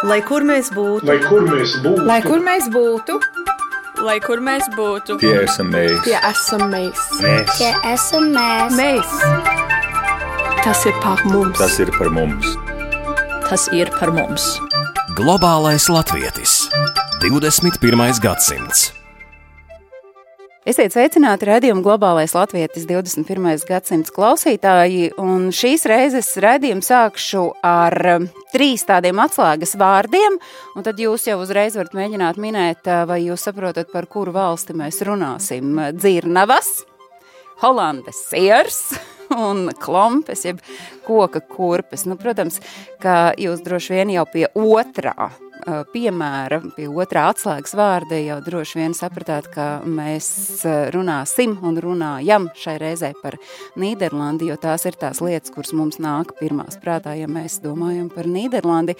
Lai kur mēs būtu, Lai kur mēs būtu, Lai kur mēs būtu, Lai kur mēs būtu, Tie esam mēs. tie esam mēs. Tie esam mēs. Mēs. Tas ir par mums. Tas ir par mums. tas ir par mums. Globālais latvietis. 21. gadsimts. Esiet sveicināti raidījuma Globālais latvietis 21. gadsimts klausītāji, un šīs reizes raidījumu sākšu ar 3 tādiem atslēgas vārdiem, un tad jūs jau uzreiz varat mēģināt minēt, vai jūs saprotat, par kuru valsti mēs runāsim. Dzirnavas, Holandes siers un klompes, jeb koka kurpes. Nu, protams, ka jūs droši vien jau pie otrā piemēra, pie otrā atslēgas vārda jau droši vien sapratāt, ka mēs runāsim un runājam šai reizē par Nīderlandi, jo tās ir tās lietas, kuras mums nāk pirmās prātā, ja mēs domājam par Nīderlandi.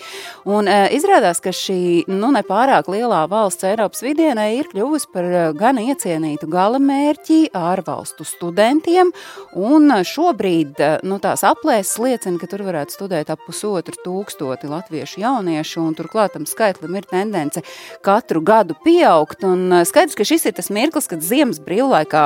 Un izrādās, ka šī nepārāk lielā valsts Eiropas vidienē ir kļuvusi par gan iecienītu galamērķi ārvalstu studentiem, un šobrīd tās aplēses liecina, ka tur varētu studēt ap 1500 latviešu jauniešu, un turklāt tam skaitlim ir tendence katru gadu pieaugt, un skaidrs, ka šis ir tas mirklis, kad ziemas brīvlaikā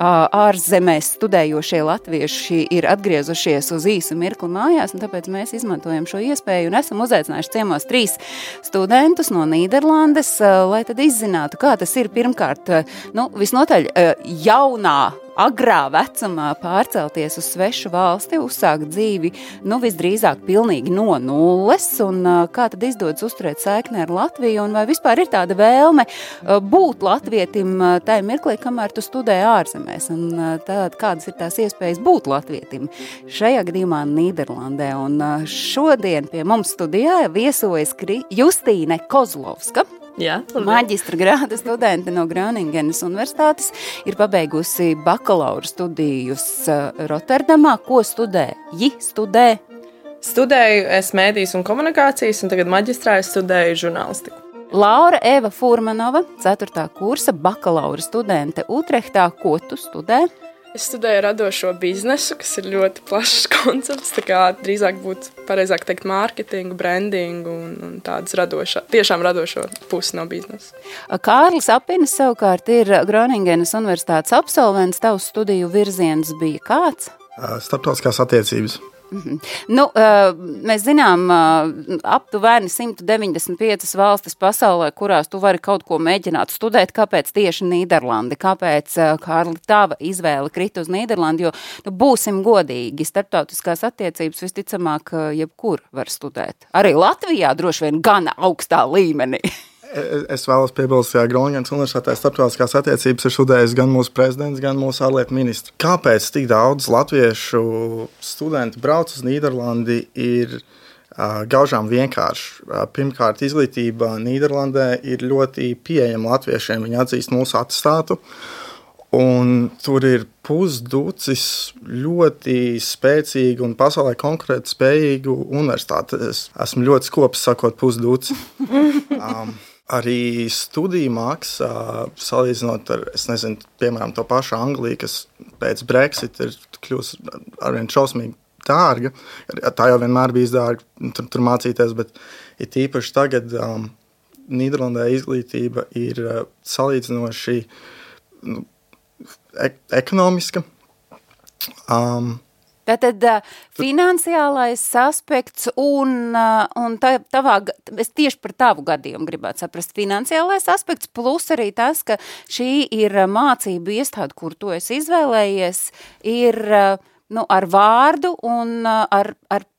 ārzemēs studējošie latvieši ir atgriezušies uz īsu mirkli mājās, un tāpēc mēs izmantojam šo iespēju un esam uzaicinājuši ciemos 3 studentus no Nīderlandes, lai tad izzinātu, kā tas ir pirmkārt, visnotaļ jaunā agrā vecumā pārcelties uz svešu valsti, uzsākt dzīvi, visdrīzāk pilnīgi no nulles, un kā tad izdodas uzturēt saikni ar Latviju, un vai vispār ir tāda vēlme būt latvietim tajā mirklī, kamēr tu studē ārzemēs, un tād, kādas ir tās iespējas būt latvietim šajā gadījumā Nīderlandē, un šodien pie mums studijā viesojas Justīne Kozlovska. Jā, Maģistra grāda studente no Groningenas universitātes, ir pabeigusi bakalaura studijus Rotterdamā. Ko studē? Studēju es mēdīs un komunikācijas, un tagad maģistrā es studēju žurnālistiku. Laura Eva Furmanova, 4. kursa bakalaura studente Utrehtā. Ko tu studē? Es studēju radošo biznesu, kas ir ļoti plašs koncepts, tā kā drīzāk būtu pareizāk teikt mārketingu, brandingu un tādas tiešām radošo pusi no biznesa. Kārlis Apinis savukārt ir Groningenas universitātes absolvents, tavs studiju virziens bija kāds? starptautiskās attiecības. Mēs zinām aptuveni 195 valstis pasaulē, kurās tu vari kaut ko mēģināt studēt. Kāpēc tieši Nīderlandi? Kāpēc, Kārli, tava izvēle krita uz Nīderlandi? Jo, būsim godīgi, starptautiskās attiecības visticamāk jebkur var studēt. Arī Latvijā droši vien gana augstā līmenī. Es vēlos piebilst, ka Groningenas universitātē starptautiskās attiecības ir studējis gan mūsu prezidents, gan mūsu ārlietu ministrs. Kāpēc tik daudz latviešu studenti brauc uz Nīderlandi ir gaužām vienkārši. Pirmkārt, izglītība Nīderlandē ir ļoti pieejama latviešiem. Viņi atzīst mūsu atestātu. Un tur ir pusducis ļoti spēcīgu un pasaulē konkurēt spējīgu universitāti. Es esmu ļoti skopis sakot pusduci. Arī studiju maksa, salīdzinot ar, piemēram, to pašu Angliju, kas pēc Brexit ir kļūst arvien šausmīgi dārga. Tā jau vienmēr bijis dārga tur mācīties, bet ir tīpaši tagad Nīderlandē izglītība ir salīdzinoši ekonomiska. Tātad finansiālais aspekts un es tieši par tavu gadījumu gribētu saprast, finansiālais aspekts plus arī tas, ka šī ir mācību iestāde, kur tu esi izvēlējies, ir ar vārdu un ar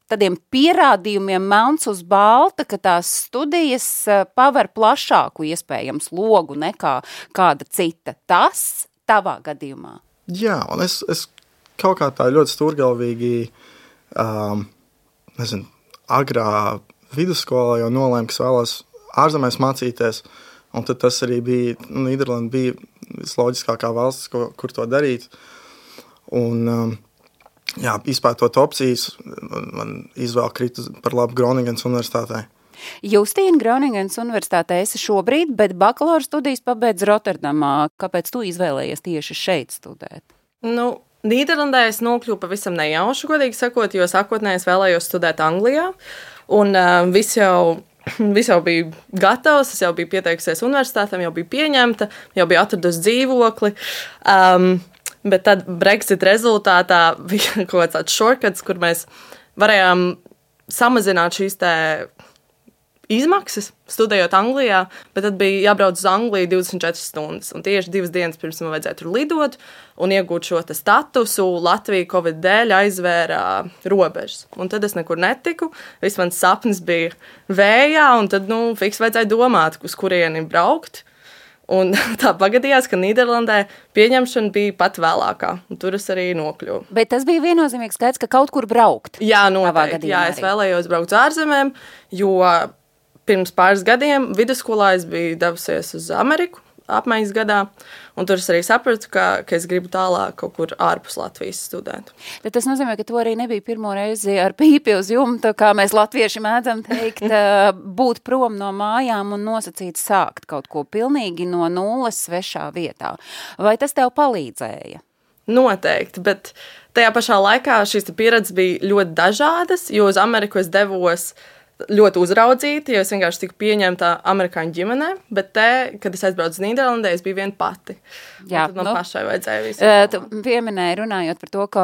tādiem pierādījumiem melns uz balta, ka tās studijas paver plašāku iespējams logu nekā kāda cita. Tas tavā gadījumā? Jā, un es kaut kā tā ļoti stūrgalvīgi, agrā vidusskolā jau nolēmu, ka es vēlos ārzemēs mācīties, un tad tas arī bija, Nīderlanda bija visloģiskākā valsts, kur to darīt. Un, izpētot opcijas, man izvēle krita par labu Groningenas universitātē. Justīna, Groningenas universitātē esi šobrīd, bet bakalaura studijas pabeidz Rotterdamā. Kāpēc tu izvēlējies tieši šeit studēt? Nīderlandē es nokļuvu pavisam nejauši, godīgi sakot, jo sākotnēji es vēlējos studēt Anglijā, un viss jau viss jau bija gatavs, es jau biju pieteikusies universitātēm, jau biju pieņemta, jau biju atradusi dzīvokli. Bet tad Brexit rezultātā bija kaut kāds tāds shortcuts, kur mēs varējām samazināt šīs izmaksas, studējot Anglijā, bet tad bija jābrauc uz Angliju 24 stundas. Un tieši 2 dienas pirms man vajadzēja tur lidot un iegūt šo statusu, Latvija Covid dēļ aizvēra robežas. Un tad es nekur netiku, viss mans sapnis bija vējā, un tad, fiks vajadzēja domāt, uz kurieni braukt. Un tā pagadījās, ka Nīderlandē pieņemšana bija pat vēlākā, un tur es arī nokļuvu. Bet tas bija viennozīmīgs skaits, ka kaut kur braukt. Jā, noteikti. Jā, es vēlējos braukt uz ārzemēm, jo pirms pāris gadiem vidusskolā es biju devusies uz Ameriku apmaiņas gadā, un tur es arī sapratu, ka es gribu tālāk kaut kur ārpus Latvijas studēt. Tad tas nozīmē, ka tu arī nebija pirmo reizi ar pīpi uz jumta, kā mēs latvieši mēdzam teikt, būt prom no mājām un nosacīt sākt kaut ko pilnīgi no nulles svešā vietā. Vai tas tev palīdzēja? Noteikti, bet tajā pašā laikā šīs pieredzes bija ļoti dažādas, jo uz Ameriku es devos ļoti uzraudzīti, jo es vienkārši tiku pieņemta amerikāņu ģimenē, bet kad es aizbraucu uz Nīderlandē, es biju viena pati. Jā, tad man pašai vajadzēja visu. Tu pieminēji, runājot par to, ka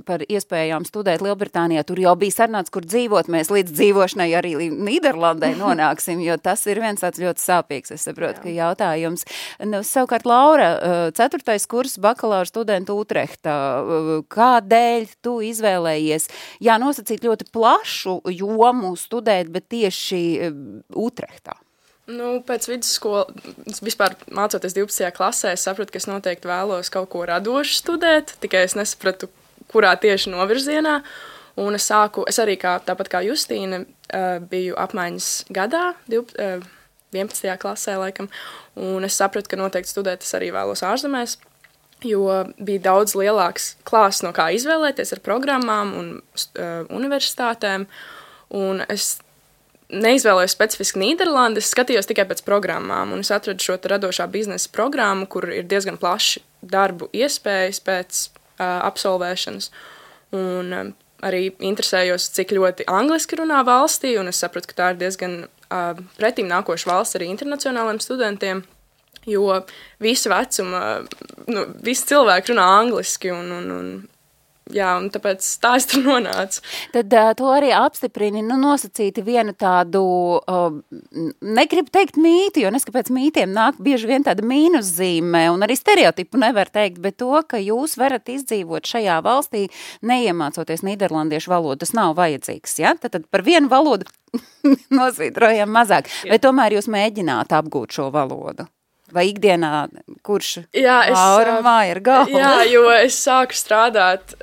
par iespējām studēt Lielbritānijā, tur jau bija sarunāts, kur dzīvot, mēs līdz dzīvošanai arī Nīderlandē nonāksim, jo tas ir viens tāds ļoti sāpīgs, es saprotu, ka jautājums. Savukārt, Laura, 4. kurs bakalaura studenta Utrehta, kādēļ tu izvēlējies, nosacīt ļoti plašu jomu studēt, bet tieši Utrehtā? Pēc vidusskolas, vispār mācoties 12. klasē, es sapratu, ka es noteikti vēlos kaut ko radošu studēt, tikai es nesapratu, kurā tieši novirzienā. Un es arī tāpat kā Justīna, biju apmaiņas gadā, 11. klasē laikam, un es sapratu, ka noteikti studēt es arī vēlos ārzemēs, jo bija daudz lielāks klāsts, no kā izvēlēties ar programmām un universitātēm. Un es neizvēlējos specifiski Nīderlandi, es skatījos tikai pēc programmām, un es atradu šo radošā biznesa programmu, kur ir diezgan plaši darbu iespējas pēc absolvēšanas. Un arī interesējos, cik ļoti angliski runā valstī, un es sapratu, ka tā ir diezgan pretīm nākoša valsts arī internacionāliem studentiem, jo visi vecuma, visi cilvēki runā angliski, un tāpēc tā es tur nonācu. Tad to arī apstiprini, nosacīti vienu tādu, negribu teikt mīti, jo neskapēc mītiem nāk bieži vien tāda mīnuszīme, un arī stereotipu nevar teikt, bet to, ka jūs varat izdzīvot šajā valstī, neiemācoties nīderlandiešu valodu, tas nav vajadzīgs, ja? Tad par vienu valodu nosvītrojam mazāk. Vai tomēr jūs mēģināt apgūt šo valodu? Vai ikdienā, kurš Laura ir galva? Jā, jo es sāku strādāt,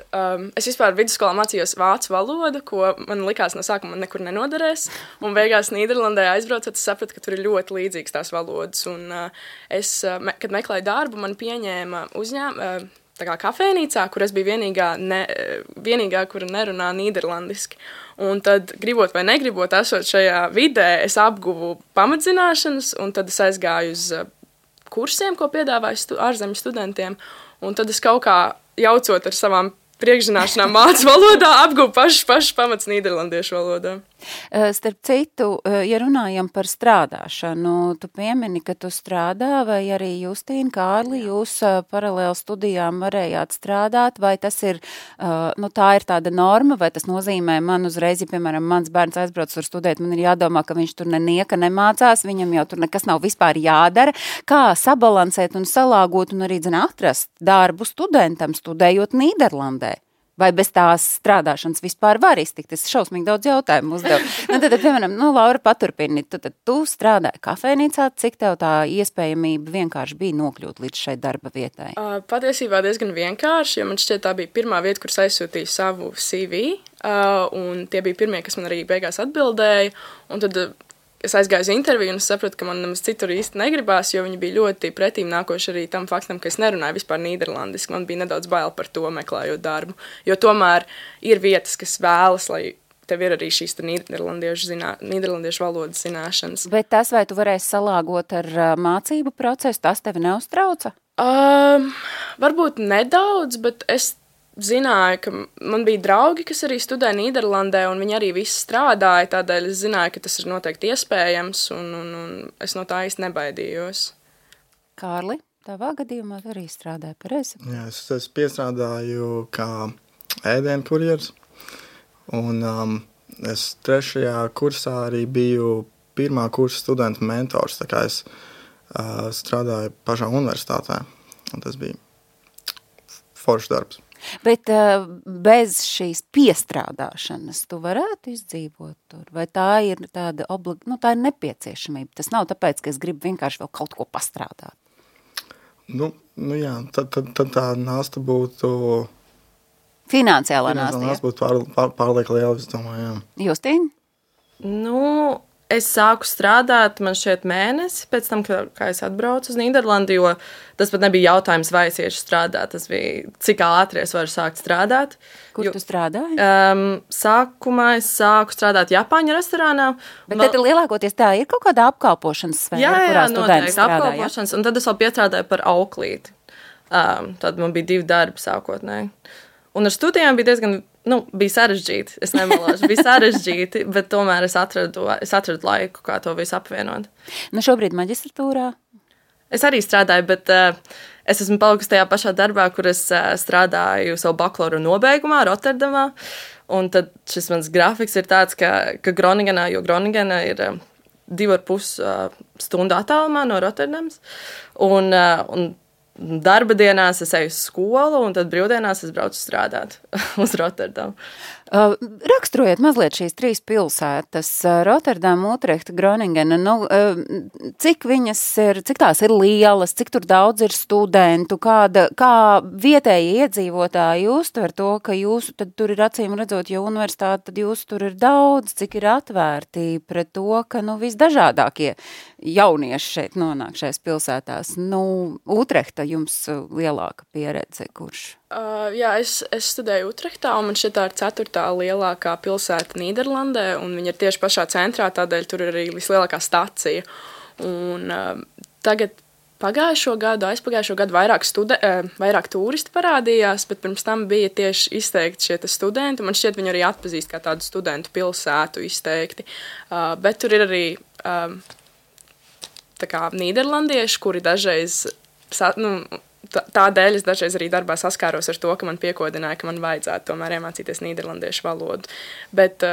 es vispār vidusskolā mācījos vācu valodu, ko man likās no sākuma man nekur nenoderēs, un beigās Nīderlandē aizbraucot, es sapratu, ka tur ir ļoti līdzīgas tās valodas, un kad meklēju darbu, man pieņēma tā kā kafejnīcā, kur es biju vienīgā, kura nerunā nīderlandiski. Un tad, gribot vai negribot, esot šajā vidē, es apguvu pamatzināšanas, un tad es aizgāju uz kursiem, ko piedāvāju ārzemju studentiem, un tad es kaut kā jaucot ar savām priekšzināšanām vācu valodā, apguvu pašas pamats nīderlandiešu valodā. Starp citu, ja runājam par strādāšanu, tu piemini, ka tu strādā, vai arī Justīna, Kārli, jūs paralēli studijām varējāt strādāt, vai tas ir, tā ir tāda norma, vai tas nozīmē man uzreiz, ja, piemēram, mans bērns aizbrauc tur studēt, man ir jādomā, ka viņš tur nenieka nemācās, viņam jau tur nekas nav vispār jādara. Kā sabalansēt un salāgot un arī, atrast darbu studentam, studējot Nīderlandē? Vai bez tās strādāšanas vispār var iztikt? Es šausmīgi daudz jautājumu uzdevu. Tad, piemēram, Laura, paturpini, tad tu strādāji kafejnīcā, cik tev tā iespējamība vienkārši bija nokļūt līdz šai darba vietai? Patiesībā diezgan vienkārši, jo man šķiet tā bija pirmā vieta, kur aizsūtīju savu CV, un tie bija pirmie, kas man arī beigās atbildēja, un tad es aizgāju uz interviju un es sapratu, ka man nemaz citur īsti negribās, jo viņi bija ļoti pretīm nākoši arī tam faktam, ka es nerunāju vispār nīderlandiski. Man bija nedaudz bail par to, meklējot darbu. Jo tomēr ir vietas, kas vēlas, lai tev ir arī šīs nīderlandiešu valodas zināšanas. Bet tas, vai tu varēsi salāgot ar mācību procesu, tas tevi neuztrauca? Varbūt nedaudz, bet es zināju, ka man bija draugi, kas arī studēja Nīderlandē, un viņi arī visi strādāja, tādēļ es zināju, ka tas ir noteikti iespējams, un es no tā īsti nebaidījos. Kārli, tavā gadījumā arī strādāja pareizi? Jā, es piestrādāju kā ēdienu kurjers, un es 3. kursā arī biju pirmā kursa studentu mentors, tā kā es strādāju pašā universitātē, un tas bija foršs darbs. Bet bez šīs piestrādāšanas tu varētu izdzīvot tur? Vai tā ir tāda tā ir nepieciešamība? Tas nav tāpēc, ka es gribu vienkārši vēl kaut ko pastrādāt. Nu jā, tad tā nasta būtu... Finansiālā nasta, jā? Būtu pārlieka liela, es domāju, jā. Justīna? Nu, es sāku strādāt, man šķiet, mēnesi pēc tam, kā es atbraucu uz Nīderlandi, jo tas pat nebija jautājums, vai es iešu strādāt. Tas bija, cik ātri es varu sākt strādāt. Kur tu strādāji? Sākumā es sāku strādāt Japāņu restorānā. Bet tad lielākoties tā ir kaut kāda apkalpošanas sfēra, kurā studenti strādā, apkalpošanas, un tad es vēl piestrādāju par auklīti. Tad man bija 2 darbi sākotnēji. Un ar studijām bija diezgan... bija sarežģīti, es nemelāšu, bija sarežģīti, bet tomēr es atradu laiku, kā to visu apvienot. Šobrīd maģistratūrā? Es arī strādāju, bet es esmu palikusi tajā pašā darbā, kur es strādāju savu bakalaura nobeigumā Rotterdamā, un tad šis mans grafiks ir tāds, ka Groningenā, jo Groningena ir 2,5 stundu attālumā no Rotterdams, un darba dienās es eju uz skolu, un tad brīvdienās es braucu strādāt uz Rotterdamu. Raksturojiet mazliet šīs 3 pilsētas, Rotterdama, Utrehta, Groningena, cik tās ir lielas, cik tur daudz ir studentu, kā vietēji iedzīvotāji uztver to, ka jūsu tad tur ir acīm redzot, jo universitāte, tad jūsu tur ir daudz, cik ir atvērti pret to, ka visdažādākie jaunieši šeit nonāk šais pilsētās. Utrehta jums lielāka pieredze, kurš? Jā, es studēju Utrehtā, un man šķiet tā ir 4. lielākā pilsēta Nīderlandē, un viņa ir tieši pašā centrā, tādēļ tur ir arī vislielākā stacija. Un tagad aizpagājušo gadu vairāk turisti parādījās, bet pirms tam bija tieši izteikti šie studenti. Man šķiet, viņi arī atpazīst kā tādu studentu pilsētu izteikti. Bet tur ir arī tā kā nīderlandieši, kuri dažreiz... Tādēļ es dažreiz arī darbā saskāros ar to, ka man piekodināja, ka man vajadzētu tomēr iemācīties nīderlandiešu valodu. Bet,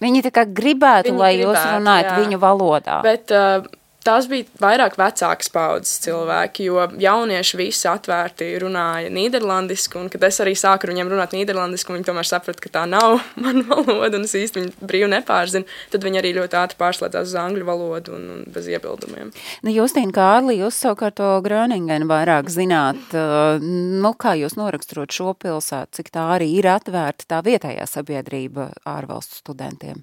viņi tā kā gribētu, lai jūs runājat viņu valodā. Bet tās bija vairāk vecākas paudzes cilvēki, jo jaunieši visi atvērti runāja nīderlandiski, un kad es arī sāku viņiem runāt nīderlandiski, viņi tomēr saprata, ka tā nav mana valoda, un es īsti viņu brīvi nepārzinu, tad viņi arī ļoti ātri pārslēdzās uz angļu valodu un bez iebildumiem. Justīna, Kārli, jūs savukārt to Groningenu vairāk zināt, kā jūs noraksturot šo pilsētu, cik tā arī ir atvērta tā vietējā sabiedrība ārvalstu studentiem?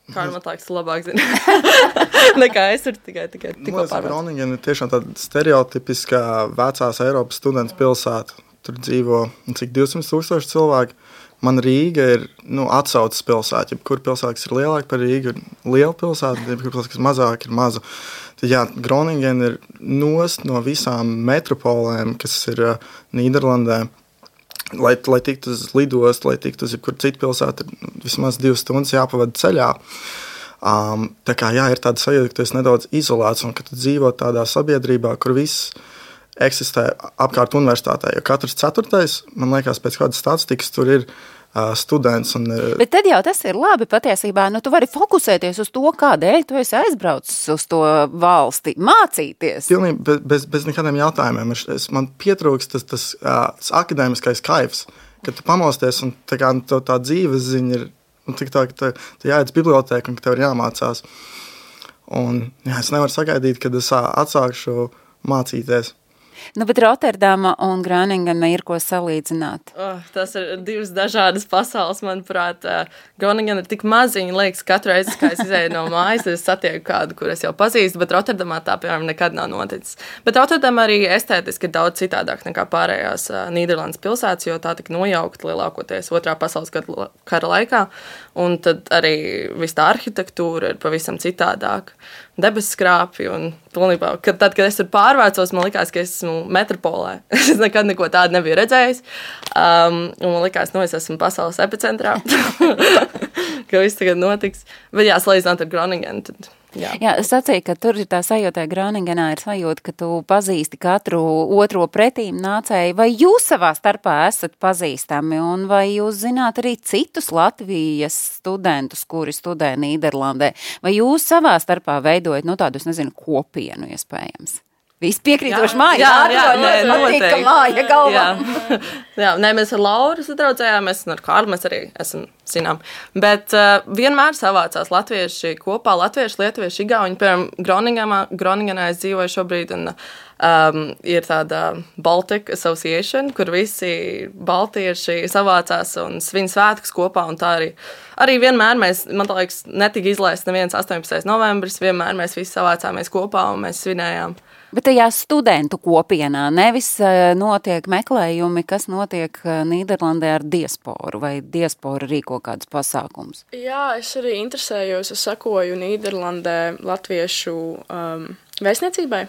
Kā man liekas, labāk zina. Nekā es tur tikai tikko pārvācu. Groningena ir tiešām tāda stereotipiskā vecās Eiropas studentu pilsēta. Tur dzīvo cik 200,000 cilvēki. Man Rīga ir atsaucas pilsēta. Jebkur pilsēta, kas ir lielāka par Rīgu, ir liela pilsēta, jebkur pilsēta, kas mazāk, ir maza. Tad, jā, Groningena ir nost no visām metropolēm, kas ir Nīderlandē. Lai tiktu uz lidostu, lai tiktu uz jebkuru citu pilsētu, vismaz 2 stundas jāpavada ceļā. Tā kā, jā, ir tāda sajūta, ka tu esi nedaudz izolēts un ka tu dzīvo tādā sabiedrībā, kur viss eksistē apkārt universitātē. Jo katrs 4., man liekas, pēc kādas statistikas tur ir students. Bet tad jau tas ir labi patiesībā. Tu vari fokusēties uz to, kādēļ tu esi aizbraucis uz to valsti, mācīties. Pilnīgi bez nekādiem jautājumiem. Man pietrūks tas akadēmiskais kaifs, kad tu pamosties un tā dzīves ziņa ir tik tā, ka tu jāiet uz bibliotēku un ka tev ir jāmācās. Un jā, es nevaru sagaidīt, kad es atsākšu mācīties. Bet Rotterdama un Groningena ir ko salīdzināt. Tas ir 2 dažādas pasaules, manuprāt. Groningena ir tik maziņa, liekas, katru reizi, kā es izēju no mājas, es satieku kādu, kur es jau pazīstu, bet Rotterdamā tā, piemēram, nekad nav noticis. Bet Rotterdama arī estētiski ir daudz citādāk nekā pārējās Nīderlandes pilsētas, jo tā tika nojaukt lielākoties 2. pasaules kara laikā, un tad arī viss tā arhitektūra ir pavisam citādāk. Debesskrāpji un pilnībā, kad es tur pārvērcos, man likās, ka esmu metropolē. Es nekad neko tādu nebiju redzējis. Un man likās, es esmu pasaules epicentrā. Ka viss tagad notiks. Bet jā, salīdzināt ar Groningenu, tad... Jā, es sacīju, ka tur ir tā sajūta, Groningenā ir sajūta, ka tu pazīsti katru otro pretīm nācēju. Vai jūs savā starpā esat pazīstami un vai jūs zināt arī citus Latvijas studentus, kuri studē Nīderlandē? Vai jūs savā starpā veidojat, tādu, es nezinu, kopienu iespējams? Visi piekrītoši māja. Jā, māja galvā. Jā, mēs ar Lauru sadraudzējāmies, un ar Kārlu mēs arī esam zinām. Bet vienmēr savācās latvieši kopā, latvieši, lietuvieši, igauņi. Piemēram, Groningenā es dzīvoju šobrīd, un ir tāda Baltic Association, kur visi baltieši savācās un svin svētkus kopā, un tā arī vienmēr mēs, man liekas, netika izlaists neviens 18. novembris, vienmēr mēs visi savācāmies kopā un mēs svinējām. Bet tajā studentu kopienā nevis notiek meklējumi, kas notiek Nīderlandē ar diasporu, vai diaspora rīko kādus pasākums? Jā, es arī interesējos, es sakoju Nīderlandē latviešu vēstniecībai,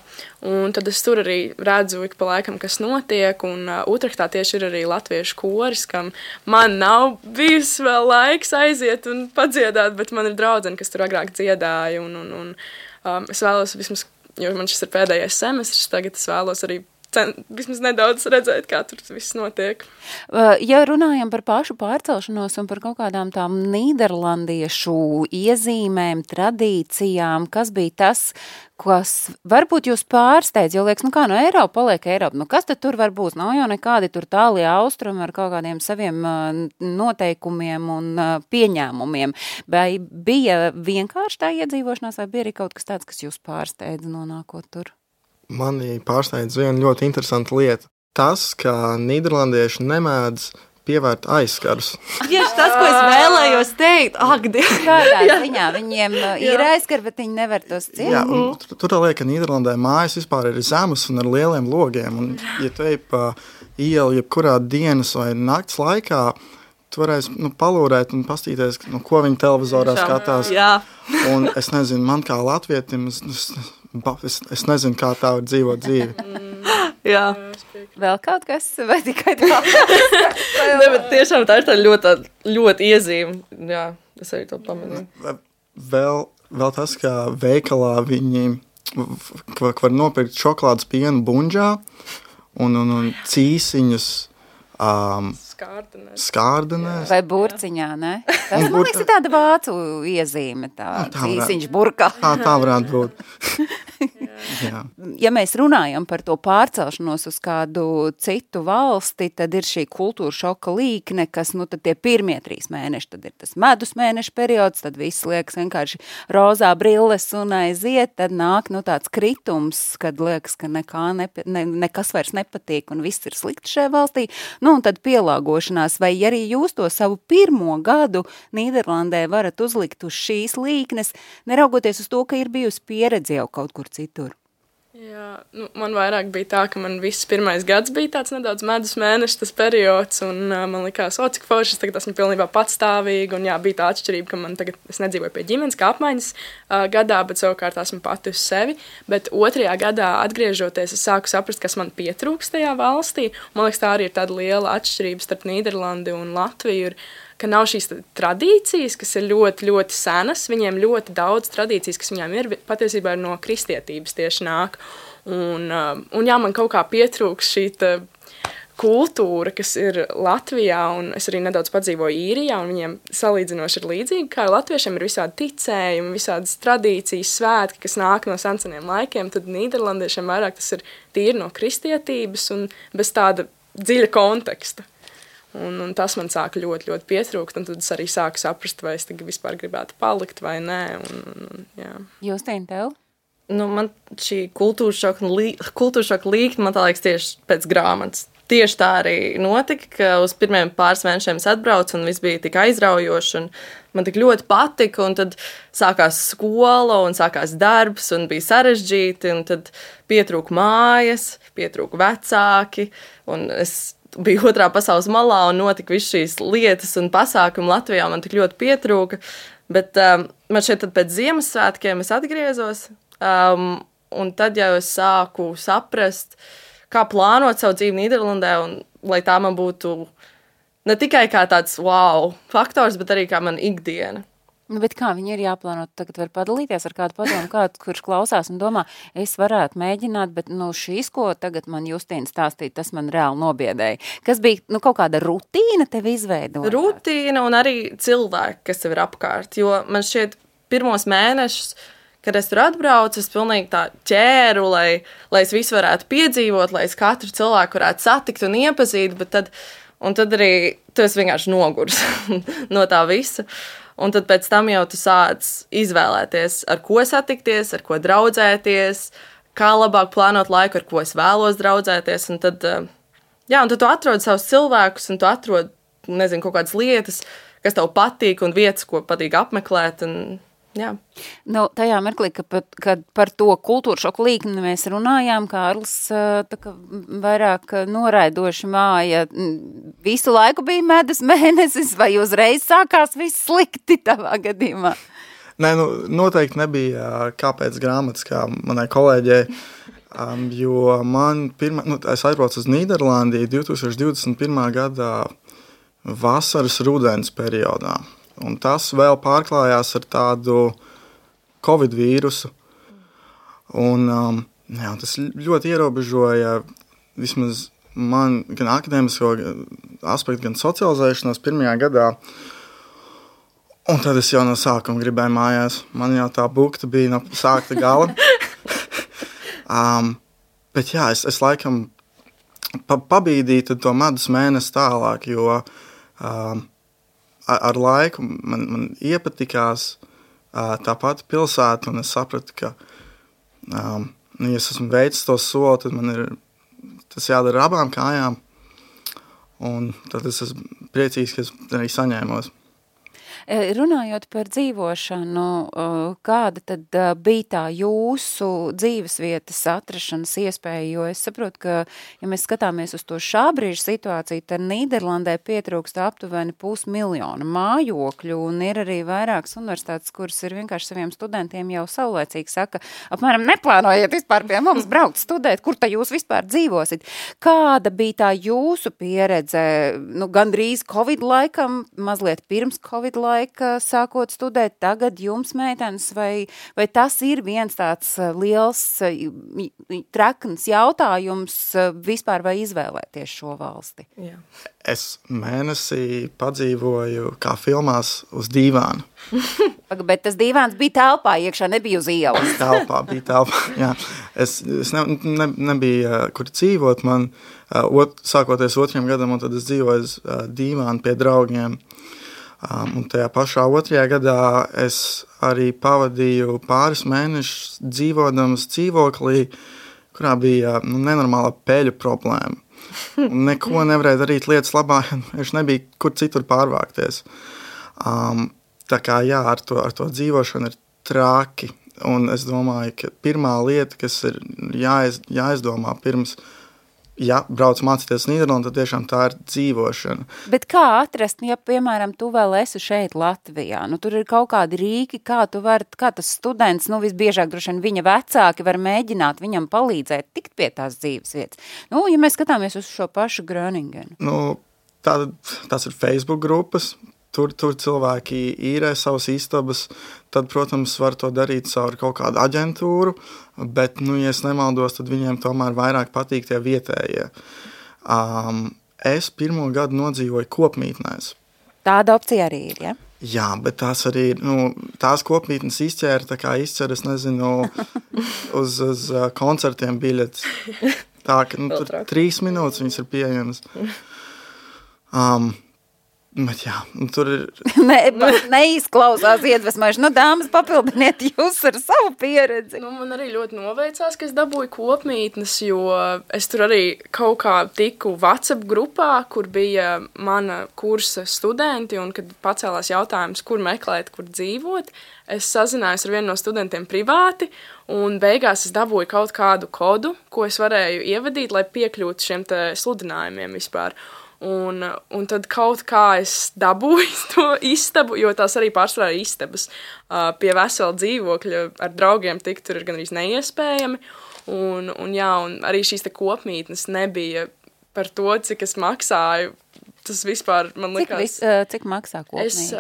un tad es tur arī redzu ik pa laikam, kas notiek, un Utrechtā tieši ir arī latviešu koris, kam man nav bijis vēl laiks aiziet un padziedāt, bet man ir draudzene, kas tur agrāk dziedāja, un es vēlos vismaz, jo man šis ir pēdējais semestris, tagad es vēlos arī vismaz nedaudz redzēt, kā tur viss notiek. Ja runājam par pašu pārcelšanos un par kaut kādām tām nīderlandiešu iezīmēm, tradīcijām, kas bija tas, kas varbūt jūs pārsteidz, jo liekas, no Eiropa paliek Eiropa, kas tad tur var būt? Nav jau nekādi tur tālie austrumi ar kaut kādiem saviem noteikumiem un pieņēmumiem. Vai bija vienkārši tā iedzīvošanās, vai bija arī kaut kas tāds, kas jūs pārsteidz nonākot tur? Mani pārsteidz viena ļoti interesanta lieta. Tas, ka nīderlandieši nemēdz pievērt aizskarus. Tieši tas, ko es vēlējos teikt. Kādā ziņā viņiem ir aizskari, bet viņi nevar tos ciet? Jā, tur liek, ka Nīderlandē mājas vispār ir zemes un ar lieliem logiem. Un, ja tu ej pa ielu jebkurā dienas vai nakts laikā, tu varēsi palūrēt un pastīties, ko viņi televizorā skatās. Jā. Un es nezinu, man kā latvietim, es nezinu, kā tā var dzīvot dzīvi. Jā. Vēl kaut kas, vai tikai tā? Ne, bet tiešām tā ir tā ļoti iezīme. Jā, es arī to pamanīju. Vēl tas, ka veikalā viņi var nopirkt šokolādes pienu bunģā un cīsiņus skārdenēs. Vai burciņā, ne? Tas, man liekas, ir tāda vācu iezīme, tā cīsiņš burkā. Tā varētu būt. Jā. Ja mēs runājam par to pārcelšanos uz kādu citu valsti, tad ir šī kultūra šoka līkne, kas, tad tie pirmie 3 mēneši, tad ir tas medus mēneša periods, tad viss liekas vienkārši rozā brilles un aiziet, tad nāk, tāds kritums, kad liekas, ka nekas vairs nepatīk un viss ir slikti šajā valstī, un tad pielāgošanās, vai arī jūs to savu pirmo gadu Nīderlandē varat uzlikt uz šīs līknes, neraugoties uz to, ka ir bijusi pieredze jau kaut kur citur? Jā, man vairāk bija tā, ka man viss pirmais gads bija tāds nedaudz medus mēneša tas periods, un man likās, cik forši, es tagad esmu pilnībā patstāvīga, un jā, bija tā atšķirība, ka man tagad, es nedzīvoju pie ģimenes kā apmaiņas gadā, bet savukārt esmu pati uz sevi, bet 2. gadā atgriežoties, es sāku saprast, kas man pietrūkst tajā valstī, man liekas, tā arī ir tāda liela atšķirība starp Nīderlandi un Latviju, ka nav šīs tradīcijas, kas ir ļoti, ļoti senas, viņiem ļoti daudz tradīcijas, kas viņiem ir, patiesībā ir no kristietības tieši nāk. Un jā, man kaut kā pietrūks šī kultūra, kas ir Latvijā, un es arī nedaudz padzīvoju Īrijā, un viņiem salīdzinoši ir līdzīgi, kā latviešiem ir visādi ticējumi, visādas tradīcijas, svētki, kas nāk no seniem laikiem, tad nīderlandiešiem vairāk tas ir tīri no kristietības un bez tāda dziļa konteksta. Un tas man sāka ļoti, ļoti pietrūkt, un tad es arī sāku saprast, vai es vispār gribētu palikt vai nē. Jā. Justīna, tev? Man šī kultūra šoka līkne, man tā liekas tieši pēc grāmatas. Tieši tā arī notika, ka uz pirmiem pāris mēnešiem es atbraucu, un viss bija tik aizraujoši, un man tik ļoti patika, un tad sākās skola, un sākās darbs, un bija sarežģīti, un tad pietrūka mājas, pietrūka vecāki, un es biju otrā pasaules malā un notika viss šīs lietas un pasākumi Latvijā, man tik ļoti pietrūka, bet man šeit tad pēc Ziemassvētkiem es atgriezos, Un tad jau es sāku saprast, kā plānot savu dzīvi Nīderlandē, un lai tā man būtu ne tikai kā tāds wow faktors, bet arī kā man ikdiena. Nu, bet kā viņi ir jāplāno? Tagad var padalīties ar kādu padomu, kurš klausās un domā, es varētu mēģināt, bet šīs, ko tagad man Justīna stāstīja, tas man reāli nobiedēja. Kas bija kaut kāda rutīna tev izveidot? Rutīna un arī cilvēki, kas tev ir apkārt. Jo man šķiet pirmos mēnešus, kad es tur atbraucu, es pilnīgi tā ķēru, lai es visu varētu piedzīvot, lai es katru cilvēku varētu satikt un iepazīt, bet tad arī tu esi vienkārši nogurs no tā visa. Un tad pēc tam jau tu sāc izvēlēties, ar ko satikties, ar ko draudzēties, kā labāk plānot laiku, ar ko es vēlos draudzēties. Un tad tu atrod savus cilvēkus, un tu atrod, nezinu, kaut kādas lietas, kas tev patīk, un vietas, ko patīk apmeklēt. Jā. Tajā mirklī, kad par to kultūru šoku līkni mēs runājām, Kārlis vairāk noraidoši māja. Visu laiku bija medus mēnesis, vai uzreiz sākās viss slikti tavā gadījumā? Nē, noteikti nebija kāpēc grāmatas, kā manai kolēģei, jo man es aizbraucu uz Nīderlandi 2021. Gadā vasaras rudens periodā. Un tas vēl pārklājās ar tādu Covid vīrusu. Un tas ļoti ierobežoja vismaz man gan akadēmisko aspektu, gan socializēšanos pirmajā gadā. Un tad es jau no sākuma gribēju mājās. Man jau tā bukta bija no sākta gala. Bet jā, es laikam pabīdīju to medus mēnesi tālāk, jo ar laiku man iepatikās tā pati pilsēta, un es sapratu, ka, ja es esmu veicis to soli, tad man ir tas jādara abām kājām, un tad es esmu priecīgs, ka es arī saņēmos. Runājot par dzīvošanu, kāda tad bija tā jūsu dzīvesvietas atrašanas iespēja, jo es saprotu, ka, ja mēs skatāmies uz to šā brīža situāciju, tad Nīderlandē pietrūkst aptuveni 500 000 mājokļu, un ir arī vairākas universitātes, kuras ir vienkārši saviem studentiem jau saulēcīgi saka, apmēram neplānojiet vispār pie mums braukt studēt, kur tā jūs vispār dzīvosit. Kāda bija tā jūsu pieredze, gandrīz Covid laikam, mazliet pirms Covid laika, sākot studēt tagad jums, meitenes, vai tas ir viens tāds liels trekns jautājums vispār vai izvēlēties šo valsti? Jā. Es mēnesī padzīvoju kā filmās uz dīvānu. Bet tas dīvāns bija telpā iekšā, nebija uz ielas. Bija telpā, jā. Es nebija, kur dzīvot. Man sākoties 2. gadam, un tad es dzīvoju uz dīvānu pie draugiem. Un tajā pašā 2. gadā es arī pavadīju pāris mēnešus dzīvodams dzīvoklī, kurā bija nenormāla peļu problēma. Un neko nevarēja darīt lietas labā, viņš nebija kur citur pārvākties. Tā kā jā, ar to dzīvošanu ir traki. Un es domāju, ka pirmā lieta, kas ir jāizdomā pirms brauc mācīties Nīderlandē, tad tiešām tā ir dzīvošana. Bet kā atrast, ja, piemēram, tu vēl esi šeit Latvijā? Tur ir kaut kādi rīki, kā tas students, visbiežāk droši vien viņa vecāki var mēģināt viņam palīdzēt tikt pie tās dzīves vietas. Ja mēs skatāmies uz šo pašu Gröningenu. Tas ir Facebook grupas. Tur cilvēki īrē savas istabas, tad, protams, var to darīt caur kaut kādu aģentūru, bet, ja es nemaldos, tad viņiem tomēr vairāk patīk tie vietējie. Es pirmo gadu nodzīvoju kopmītnēs. Tāda opcija arī ir, ja? Jā, bet tās arī ir, tās kopmītnes izķēra, es nezinu, uz koncertiem biļetes. Tā, ka tur 3 minūtes viņas ir pieejamas. Bet jā, tur ir... Neizklausās iedvesmojuši. Dāmas, papildiniet jūs ar savu pieredzi. Man arī ļoti noveicās, ka es dabūju kopmītnes, jo es tur arī kaut kā tiku WhatsApp grupā, kur bija mana kursa studenti, un kad pacēlās jautājums, kur meklēt, kur dzīvot, es sazinājos ar vienu no studentiem privāti, un beigās es dabūju kaut kādu kodu, ko es varēju ievadīt, lai piekļūtu šiem te sludinājumiem vispār. Un tad kaut kā es dabūju to istabu, jo tās arī pārsvarā ir istabas. Pie vesela dzīvokļa ar draugiem tikt tur ir gandrīz neiespējami. Un arī šīs te kopmītnes nebija par to, cik es maksāju. Tas vispār, man liekas... Cik maksā kopmītne? Es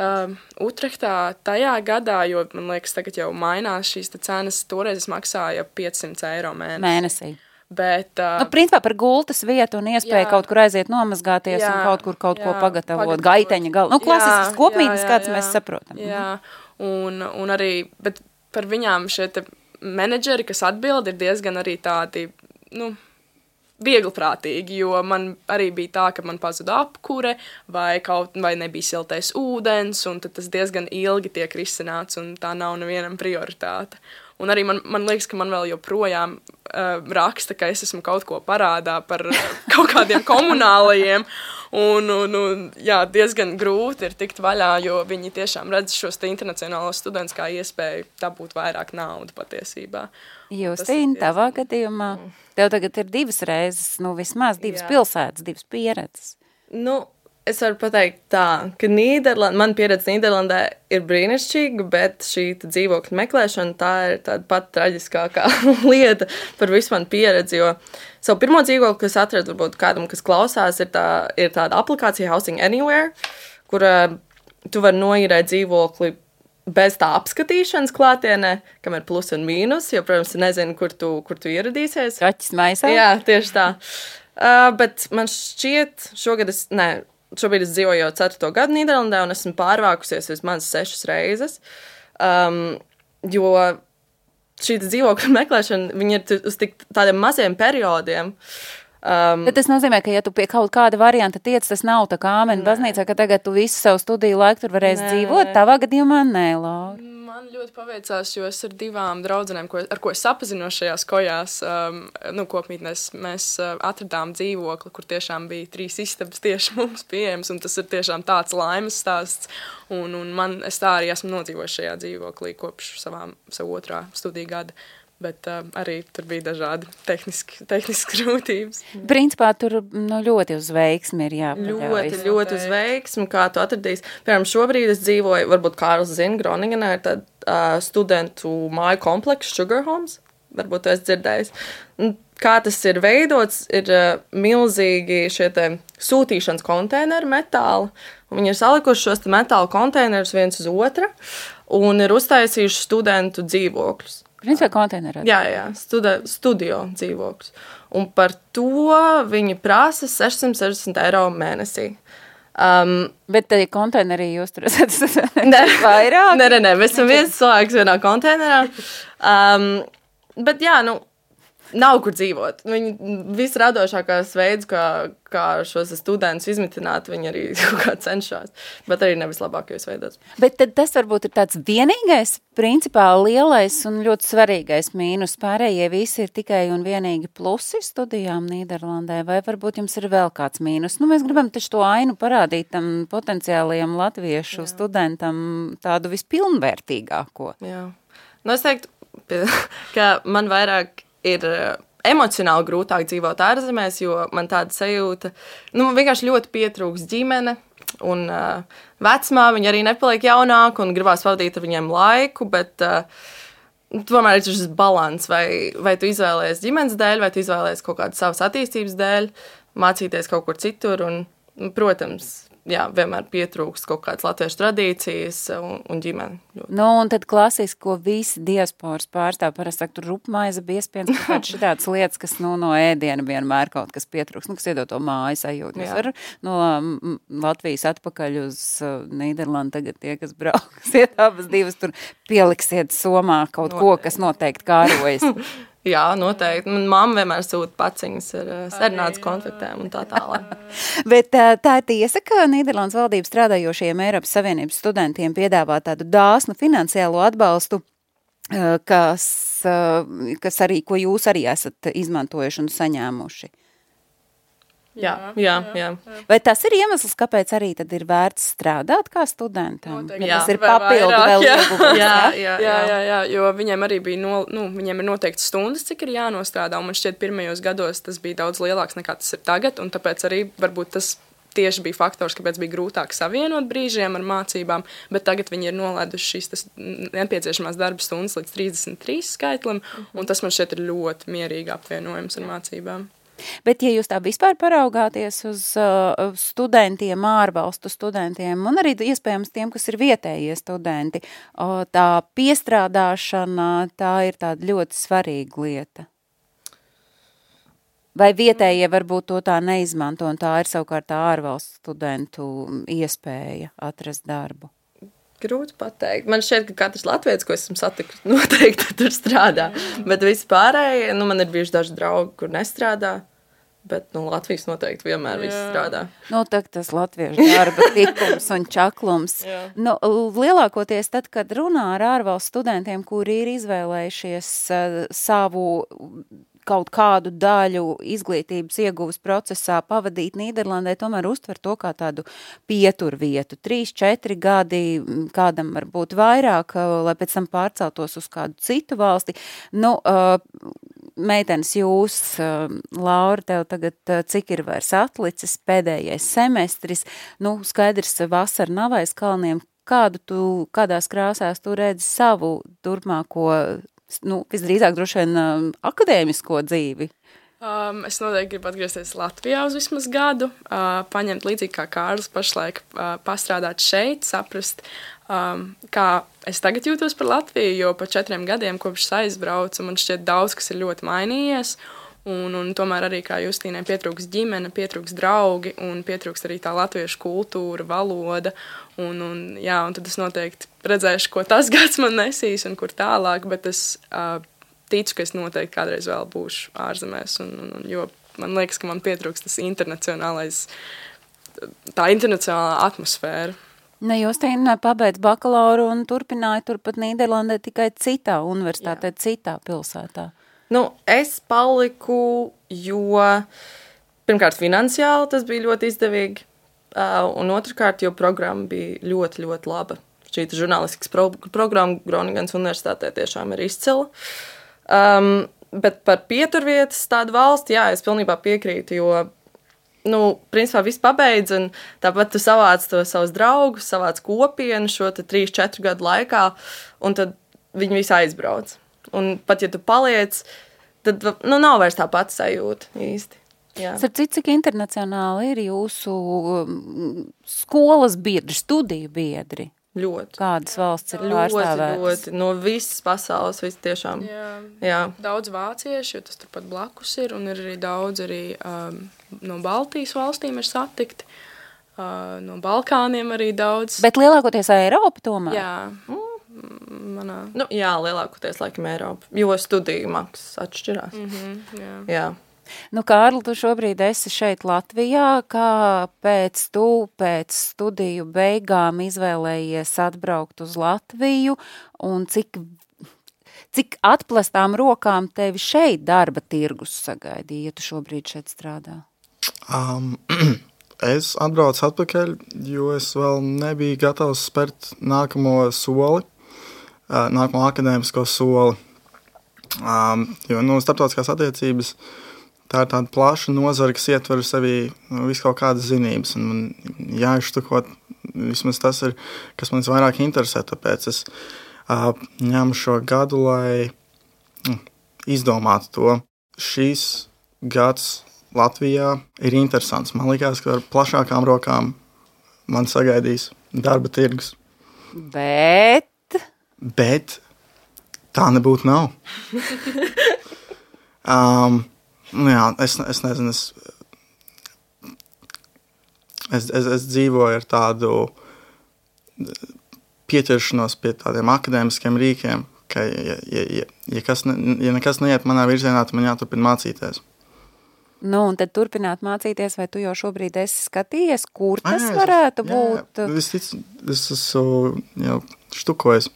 Utrehtā tajā gadā, jo, man liekas, tagad jau mainās šīs cenas, toreiz es maksāju 500 eiro mēnesī. Bet, principā par gultas vietu un iespēju kaut kur aiziet nomazgāties un kaut ko pagatavot. Gaiteņa galva. Klasisks kopmītnes, kāds mēs saprotam. Jā, un arī, bet par viņām šie te menedžeri, kas atbild, ir diezgan arī tādi, viegliprātīgi, jo man arī bija tā, ka man pazuda apkure vai nebija siltais ūdens, un tad tas diezgan ilgi tiek risināts, un tā nav nevienam prioritāte. Un arī man liekas, ka man vēl joprojām raksta, ka es esmu kaut ko parādā par kaut kādiem komunālajiem, un diezgan grūti ir tikt vaļā, jo viņi tiešām redz šos te internacionālos studentus kā iespēju dabūt vairāk naudu patiesībā. Justīna, tavā gadījumā, tev tagad ir 2 reizes, vismaz 2 pilsētas, 2 pieredzes. Es varu pateikt tā, ka man pieredze Nīderlandē ir brīnišķīga, bet šī dzīvokļa meklēšana tā ir tāda pat traģiskākā lieta par visu manu pieredzi, jo savu pirmo dzīvokli, kas atradu, varbūt kādam, kas klausās, ir tāda aplikācija Housing Anywhere, kur tu vari noīrēt dzīvokli bez tā apskatīšanas klātienē, kam ir plus un mīnus, jo, protams, nezinu, kur tu ieradīsies. Kaķis maisā? Jā, tieši tā. Bet man šķiet, šobrīd es dzīvoju jau 4. gadu Nīderlandē, un esmu pārvākusies vismaz 6 reizes, jo šī dzīvokļa meklēšana, viņi ir uz tādiem maziem periodiem. Bet tas nozīmē, ka ja tu pie kaut kāda varianta tiec, tas nav tā kā āmeni baznīcā, ka tagad tu visu savu studiju laiku tur varēsi dzīvot, tavā gadījumā nē, Laura. Man ļoti paveicās, jo es ar 2 draudzenēm, ar ko es sapazinos šajās kojās, kopmītnēs, mēs atradām dzīvokli, kur tiešām bija 3 istabas tieši mums pieejams, un tas ir tiešām tāds laimes stāsts, un es tā arī esmu nodzīvojis šajā dzīvoklī kopš savu 2. studiju gada. Bet arī tur bija dažādi tehniski grūtības. Principā tur ļoti uz veiksmi ir jāpaļaujas. Ļoti uz veiksmi, kā tu atradīsi. Piemēram, šobrīd es dzīvoju, varbūt Kārls zina, Groningenā ir tāda studentu māju komplekss Sugar Homes. Varbūt tu esi dzirdējis. Kā tas ir veidots, ir milzīgi šie te sūtīšanas konteineri metāli. Un viņi ir salikuši šos te metāla konteinerus viens uz otra un ir uztaisījuši studentu dzīvokļus. Principā konteinerā? Jā, studio dzīvokļus. Un par to viņi prasa 660 eiro mēnesī. Bet tad konteinerī jūs tur esat vairāk? Nē, mēs esam viens cilvēks vienā konteinerā. Bet jā, nav kur dzīvot. Viņi visradošākās veids, kā šos studentus izmitināt, viņi arī kaut kā cenšas, bet arī nevislabākajos veidos. Bet tad tas varbūt ir tāds vienīgais, principā lielais un ļoti svarīgais mīnus. Pārējie visi ir tikai un vienīgi plusi studijām Nīderlandē, vai varbūt jums ir vēl kāds mīnus? Mēs gribam taču to ainu parādīt tam potenciālajam latviešu studentam tādu vispilnvērtīgāko. Jā. Es teiktu, ka man vairāk ir emocionāli grūtāk dzīvot ārzemēs, jo man tāda sajūta, vienkārši ļoti pietrūks ģimene, un vecmāmiņa viņi arī nepaliek jaunāk, un gribās pavadīt ar viņiem laiku, bet tomēr ir šis balans, vai tu izvēlējies ģimenes dēļ, vai tu izvēlējies kaut kādas savas attīstības dēļ, mācīties kaut kur citur, un, protams, vienmēr pietrūkst kaut kādas latviešu tradīcijas un ģimeni. Un tad klasiski, ko visi diasporas pārstāv, parasti saka, tur rupmaize, biespiens, kaut šitādas lietas, kas no ēdiena vienmēr kaut kas pietrūkst, kas iedod to māju sajūtu. Jūs var no Latvijas atpakaļ uz Nīderlandu tagad tie, kas brauksiet abas divas, tur pieliksiet somā kaut ko, kas noteikti kārojas. Jā, noteikti. Man mamma vienmēr sūta paciņas ar sarunātas konfektēm un tā tālāk. Bet tā ir tiesa, ka Nīderlandes valdība strādājošiem Eiropas Savienības studentiem piedāvā tādu dāsnu finansiālo atbalstu, kas arī, ko jūs arī esat izmantojuši un saņēmuši. Jā. Vai tas ir iemesls, kāpēc arī tad ir vērts strādāt kā studentam? Jā, tas ir papildu vēl ieguvums. Jā, jo viņiem arī bija, viņiem ir noteikts stundas, cik ir jānostrādā, un man šķiet pirmajos gados tas bija daudz lielāks nekā tas ir tagad, un tāpēc arī varbūt tas tieši bija faktors, kāpēc bija grūtāk savienot brīžiem ar mācībām, bet tagad viņi ir nolēduši šīs nepieciešamās darba stundas līdz 33 skaitlim, un tas man šķiet ir ļoti mierīgi apvienojums ar mācībām. Bet, ja jūs tā vispār paraugāties uz studentiem, ārvalstu studentiem, un arī iespējams tiem, kas ir vietējie studenti, tā piestrādāšana, tā ir tāda ļoti svarīga lieta. Vai vietējie varbūt to tā neizmanto, un tā ir savukārt tā ārvalstu studentu iespēja atrast darbu? Grūti pateikt. Man šķiet, ka katrs latvietis, ko esmu satikusi, noteikti tur strādā. Bet vispārēji, man ir bijuši daži draugi, kur nestrādā. Bet, Latvijas noteikti vienmēr viss strādā. Tas latviešu darba tikums un čaklums. Lielākoties tad, kad runā ar ārvalstu studentiem, kuri ir izvēlējušies savu kaut kādu daļu izglītības ieguvas procesā pavadīt Nīderlandē, tomēr uztver to kā tādu pieturvietu. 3-4 gadi, kādam varbūt vairāk, lai pēc tam pārceltos uz kādu citu valsti. Meitenes, jūs, Laura, tev tagad cik ir vairs atlicis, pēdējais semestris, skaidrs, vasara nav aiz kalniem. Kādās krāsās tu redzi savu turpmāko, visdrīzāk droši vien akadēmisko dzīvi? Es noteikti gribu atgriezties Latvijā uz vismaz gadu, paņemt līdzīgi kā Kārlis pašlaik pastrādāt šeit, saprast, kā es tagad jūtos par Latviju, jo pa 4 gadiem kopš aizbraucu, man šķiet daudz, kas ir ļoti mainījies, un tomēr arī, kā Justīnai, pietrūks ģimene, pietrūks draugi, un pietrūks arī tā latviešu kultūra, valoda, un tad es noteikti redzēšu, ko tas gads man nesīs un kur tālāk, bet es ticu, ka es noteikti kādreiz vēl būšu ārzemēs, jo man liekas, ka man pietrūks tas tā internacionālā atmosfēra. Justīna pabeidz bakalauru un turpināja turpat Nīderlandē tikai citā universitātē, citā pilsētā. Es paliku, jo pirmkārt finansiāli tas bija ļoti izdevīgi, un otrkārt, jo programma bija ļoti, ļoti laba. Šī žurnālistikas programma Groningens universitātē tiešām ir izcila. Bet par pieturvietas tādu valsti, es pilnībā piekrītu, jo principā viss pabeidz, un tāpat tu savāc to savus draugus, savāc kopienu šo 3-4 gadu laikā, un tad viņi visi aizbrauc. Un pat, ja tu paliec, tad nav vairs tā pati sajūta īsti. Cik internacionāli ir jūsu skolas biedri, studiju biedri? Ļoti. Kādas valsts ir pārstāvētas? Ļoti. No visas pasaules, viss tiešām. Jā. Daudz vācieši, jo tas turpat blakus ir, un ir arī daudz no Baltijas valstīm ir satikti, no Balkāniem arī daudz. Bet lielākoties Eiropa tomēr? Jā. Lielākoties laikam Eiropa, jo studiju maksas atšķirās. Jā. Kārli, tu šobrīd esi šeit Latvijā, kāpēc tu pēc studiju beigām izvēlējies atbraukt uz Latviju, un cik atplestām rokām tevi šeit darba tirgus sagaidīja, ja tu šobrīd šeit strādā? Es atbraucu atpakaļ, jo es vēl nebiju gatavs spērt nākamo soli, nākamo akadēmisko soli, jo starptautiskās attiecības tā ir tāda plaša nozara, kas ietver sevi visu kaut kādas zinības, un man jāizštukot vismaz tas ir, kas man vairāk interesē, tāpēc es ņemu šo gadu, lai izdomātu to. Šīs gads Latvijā ir interesants. Man likās, ka ar plašākām rokām man sagaidīs darba tirgus. Bet tā nebūtu nav. Es nezinu, es dzīvoju ar tādu pieķeršanos pie tādiem akadēmiskiem rīkiem, ka ja nekas neiet manā virzienā, tad man jāturpina mācīties. Un tad turpināt mācīties, vai tu jau šobrīd esi skatījies, kur tas varētu būt? Es esmu jau štukojis.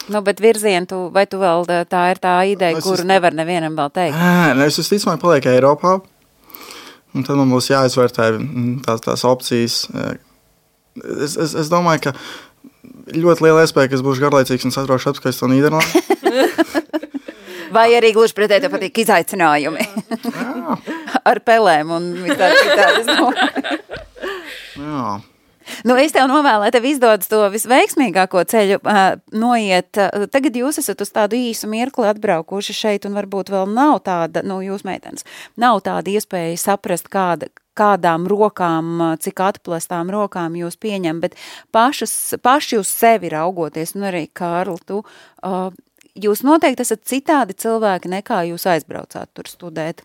Bet virzienu, vai tu vēl tā ir tā ideja, kuru nevar nevienam vēl teikt? Es visticamāk palieku Eiropā, un tad man būs jāizvērtē tās opcijas. Es domāju, ka ļoti liela iespēja, ka es būšu garlaicīgs un satraukšu atpakaļ to Nīderlandi. Vai arī gluži pretēji tev patīk izaicinājumi? Ar pelēm un citādas. Jā. Nu, es tev novēlu, lai tev izdodas to visveiksmīgāko ceļu noiet. Tagad jūs esat uz tādu īsu mirkli atbraukuši šeit, un varbūt vēl nav tāda, jūs meitenes, nav tāda iespēja saprast, kādām rokām, cik atplestām rokām jūs pieņem, bet paši uz sevi raugoties, un arī, Kārli, jūs noteikti esat citādi cilvēki, nekā jūs aizbraucāt tur studēt.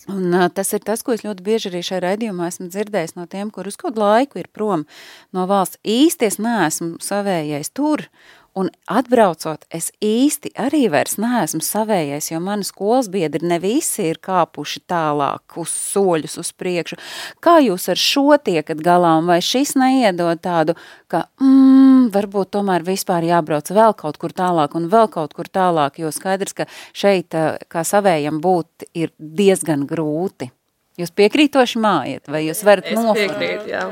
Un tas ir tas, ko es ļoti bieži arī šajā raidījumā esmu dzirdējis no tiem, kur uz kādu laiku ir prom no valsts. Īsti es neesmu savējais tur, un atbraucot, es īsti arī vairs neesmu savējais, jo mani skolas biedri ne visi ir kāpuši tālāk uz soļus uz priekšu. Kā jūs ar šo tiekat galā, un vai šis neiedod tādu, ka varbūt tomēr vispār jābrauc vēl kaut kur tālāk un vēl kaut kur tālāk, jo skaidrs, ka šeit, kā savējam būt, ir diezgan grūti. Jūs piekrītoši mājiet, vai jūs varat Es piekrītu, jā.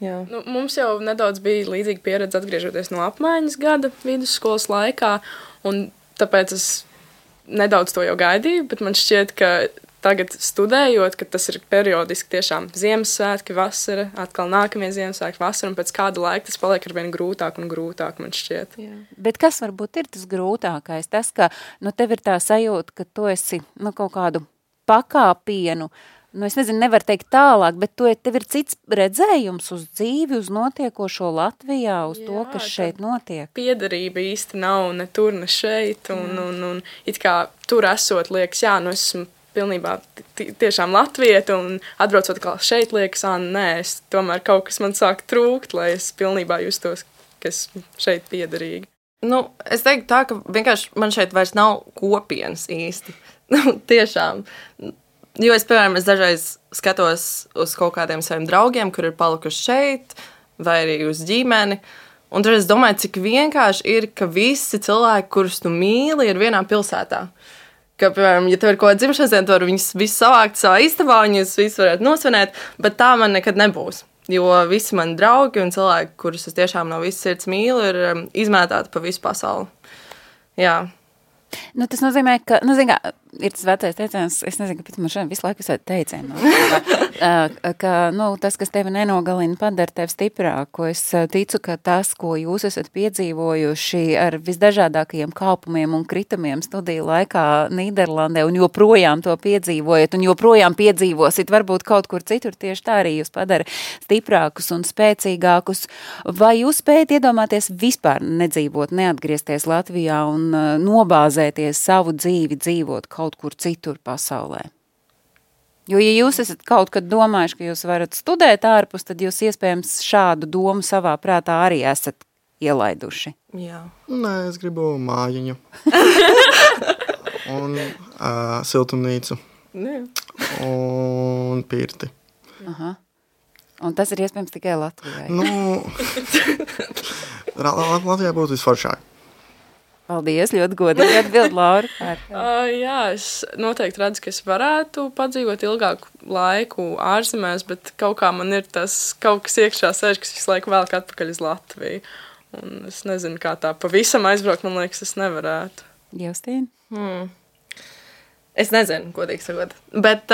Jā. Nu, mums jau nedaudz bija līdzīga pieredze atgriežoties no apmaiņas gada vidusskolas laikā, un tāpēc es nedaudz to jau gaidīju, bet man šķiet, ka tagad studējot, ka tas ir periodiski tiešām Ziemassvētki, vasara, atkal nākamie Ziemassvētki, vasara, un pēc kāda laika tas paliek arvien grūtāk un grūtāk, man šķiet. Jā. Bet kas varbūt ir tas grūtākais? Tas, ka tev ir tā sajūta, ka tu esi kaut kādu pakāpienu, es nezinu, nevar teikt tālāk, bet tev ir cits redzējums uz dzīvi, uz notiekošo Latvijā, uz to, kas šeit notiek. Piederība īsti nav ne tur, ne šeit, un it kā tur esot liekas, es esmu pilnībā tiešām latvieta, un atbraucot kā šeit liekas, nē, es tomēr kaut kas man sāk trūkt, lai es pilnībā justos, ka esmu šeit piederīgi. Es teiktu tā, ka vienkārši man šeit vairs nav kopienas īsti. Tiešām. Jo es, piemēram, dažreiz skatos uz kaut kādiem saviem draugiem, kur ir palikuši šeit, vai arī uz ģimeni, un tad es domāju, cik vienkārši ir, ka visi cilvēki, kurus tu mīli, ir vienā pilsētā. Ka, piemēram, ja tev ir kaut kāda dzimšanas diena, tad viņus visus savākt savā istabā, un jūs visus varētu nosvinēt, bet tā man nekad nebūs. Jo visi mani draugi un cilvēki, kurus es tiešām no visas sirds mīlu, ir izmētāti pa visu pasauli. Jā. Tas nozīmē, ka, ir tas vecais teiciens, es nezinu, kāpēc man šodien visu laiku visādi teicienu, ka tas, kas tevi nenogalina, padara tevi stiprāku. Es ticu, ka tas, ko jūs esat piedzīvojuši ar visdažādākajiem kāpumiem un kritumiem studiju laikā Nīderlandē, un joprojām to piedzīvojat, un joprojām piedzīvosit, varbūt kaut kur citur tieši tā arī jūs padara stiprākus un spēcīgākus. Vai jūs spējat iedomāties vispār nedzīvot, neatgriezties Latvijā un nobāzēties savu dzīvi, dzīvot kaut kur citur pasaulē? Jo, ja jūs esat kaut kad domājuši, ka jūs varat studēt ārpus, tad jūs iespējams šādu domu savā prātā arī esat ielaiduši. Jā. Nē, es gribu mājiņu. Un siltumnīcu. Jā. Un pirti. Aha. Un tas ir iespējams tikai Latvijai. Latvijā būtu visforšāk. Paldies, ļoti godīgi atbild, Laura. Jā, es noteikti redzu, ka es varētu padzīvot ilgāku laiku ārzemēs, bet kaut kā man ir tas kaut kas iekšā sēž, kas visu laiku velk atpakaļ uz Latviju. Un es nezinu, kā tā pavisam aizbraukt, man liekas, es nevarētu. Justīna? Es nezinu, godīgi sakot. Bet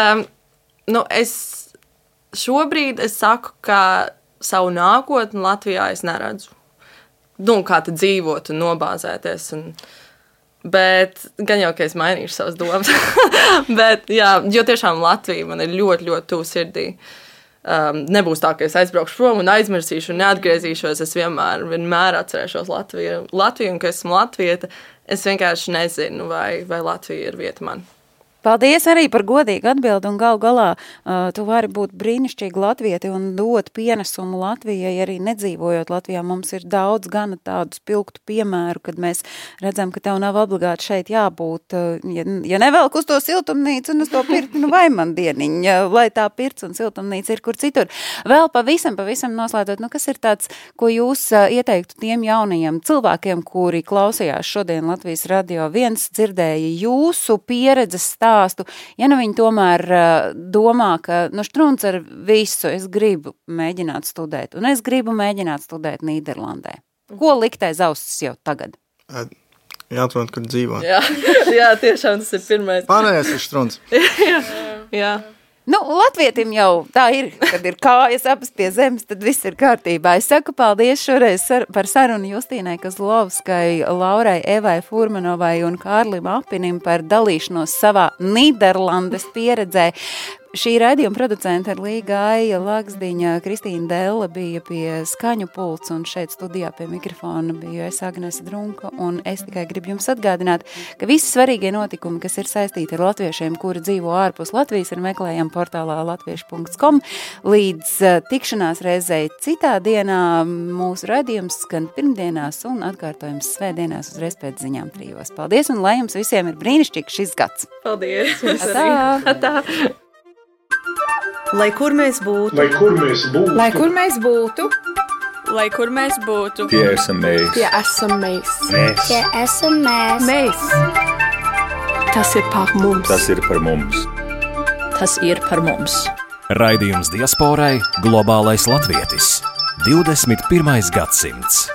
šobrīd es saku, ka savu nākotni Latvijā es neredzu. Kā te dzīvot un nobāzēties. Bet gan jau, ka es mainīšu savas domas. Bet, jā, jo tiešām Latvija man ir ļoti, ļoti tuvu sirdī. Nebūs tā, ka es aizbraukšu prom un aizmirsīšu un neatgriezīšos. Es vienmēr atcerēšos Latviju, un ka esmu latvieta. Es vienkārši nezinu, vai Latvija ir vieta man. Paldies arī par godīgu atbildi, un gal galā tu vari būt brīnišķīgi latvieti un dot pienesumu Latvijai, arī nedzīvojot Latvijā. Mums ir daudz gana tādu spilgtu piemēru, kad mēs redzam, ka tev nav obligāti šeit jābūt. Ja nevelk uz to siltumnīcu un uz to pirti, vai man dieniņa, lai tā pirts un siltumnīca ir kur citur. Vēl pavisam noslēdzot, kas ir tāds, ko jūs ieteiktu tiem jaunajiem cilvēkiem, kuri klausījās šodien Latvijas radio? Viens dzirdēja jūsu pieredzes stāstu. Ja viņi tomēr domā, ka Štruns ar visu, es gribu mēģināt studēt, un es gribu mēģināt studēt Nīderlandē. Ko likt aiz ausis jau tagad? Jāatrod, kur dzīvot. Jā, tiešām tas ir pirmais. Pārējais ir Štruns. Jā. Nu, latvietim jau tā ir, kad ir kājas abas pie zemes, tad viss ir kārtībā. Es saku paldies šoreiz par sarunu Justīnai Kozlovskai, Laurai Evai Furmanovai un Kārlim Apinim par dalīšanos savā Nīderlandes pieredzē. Šī raidījuma producenta ir Līga Aija Lagsdiņa, Kristīna Della bija pie skaņu pults un šeit studijā pie mikrofona biju es Agnese Drunka un es tikai gribu jums atgādināt, ka visi svarīgie notikumi, kas ir saistīti ar latviešiem, kuri dzīvo ārpus Latvijas, ir meklējami portālā latviešu.com. Līdz tikšanās reizei citā dienā mūsu raidījums skan pirmdienās un atkārtojums svētdienās uzreiz pēc ziņām 3. Paldies un lai jums visiem ir brīnišķīgs šis gads. Paldies! Atā! Lai kur mēs būtu, Lai kur mēs būtu, lai kur mēs būtu, Lai kur mēs būtu, tie esam mēs. tie esam mēs. Tie esam mēs. Mēs. Tas ir par mums. Tas ir par mums. Tas ir par mums. Raidījums diasporai Globālais latvietis. 21. gadsimts.